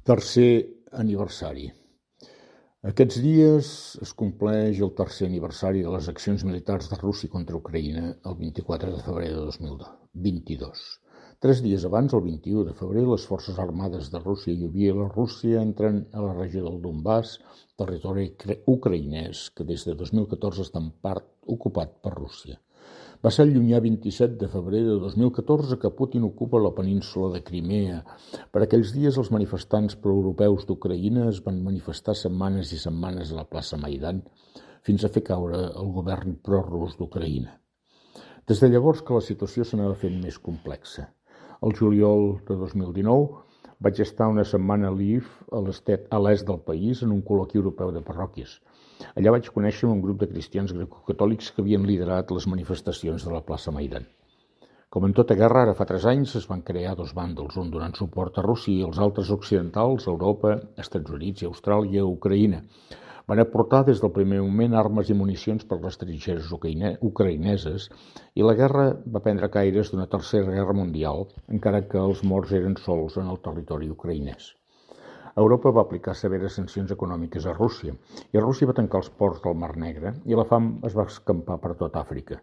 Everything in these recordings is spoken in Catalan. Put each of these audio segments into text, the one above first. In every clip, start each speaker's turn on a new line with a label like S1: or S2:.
S1: Tercer aniversari. Aquests dies es compleix el tercer aniversari de les accions militars de Rússia contra Ucraïna el 24 de febrer de 2022. 3 dies abans, el 21 de febrer, les forces armades de Rússia i Bielorússia entren a la regió del Donbàs, territori ucraïnès que des de 2014 està en part ocupat per Rússia. Va ser el llunyà 27 de febrer de 2014 que Putin ocupa la península de Crimea. Per aquells dies, els manifestants proeuropeus d'Ucraïna es van manifestar setmanes i setmanes a la plaça Maidan fins a fer caure el govern prorus d'Ucraïna. Des de llavors que la situació s'anava fent més complexa. El juliol de 2019 vaig estar una setmana a Lviv, a l'est del país, en un col·loqui europeu de parròquies. Allà vaig conèixer un grup de cristians grecocatòlics que havien liderat les manifestacions de la plaça Maidan. Com en tota guerra, ara fa 3 anys es van crear 2 bàndols, un donant suport a Rússia i els altres occidentals, Europa, Estats Units i Austràlia, Ucraïna. Van aportar des del primer moment armes i municions per les trinxeres ucraïneses i la guerra va prendre caires d'una tercera guerra mundial, encara que els morts eren sols en el territori ucraïnès. Europa va aplicar severes sancions econòmiques a Rússia i Rússia va tancar els ports del Mar Negre i la fam es va escampar per tot Àfrica.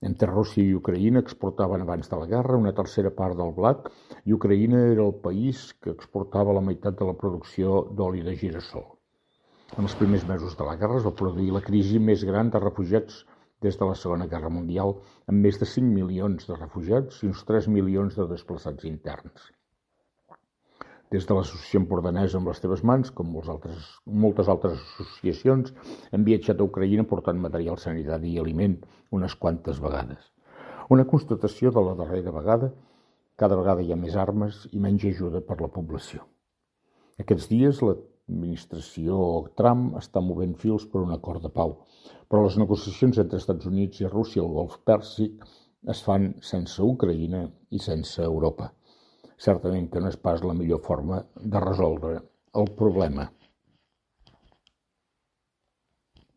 S1: Entre Rússia i Ucraïna exportaven abans de la guerra una tercera part del blat i Ucraïna era el país que exportava la meitat de la producció d'oli de girassol. En els primers mesos de la guerra es va produir la crisi més gran de refugiats des de la Segona Guerra Mundial, amb més de 5 milions de refugiats i uns 3 milions de desplaçats interns. Des de l'Associació Empordanesa amb les teves mans, com moltes altres associacions, hem viatjat a Ucraïna portant material sanitari i aliment unes quantes vegades. Una constatació de la darrera vegada, cada vegada hi ha més armes i menys ajuda per la població. Aquests dies l'administració Trump està movent fils per un acord de pau, però les negociacions entre Estats Units i Rússia al Golf Pèrsic es fan sense Ucraïna i sense Europa. Certament que no és pas la millor forma de resoldre el problema.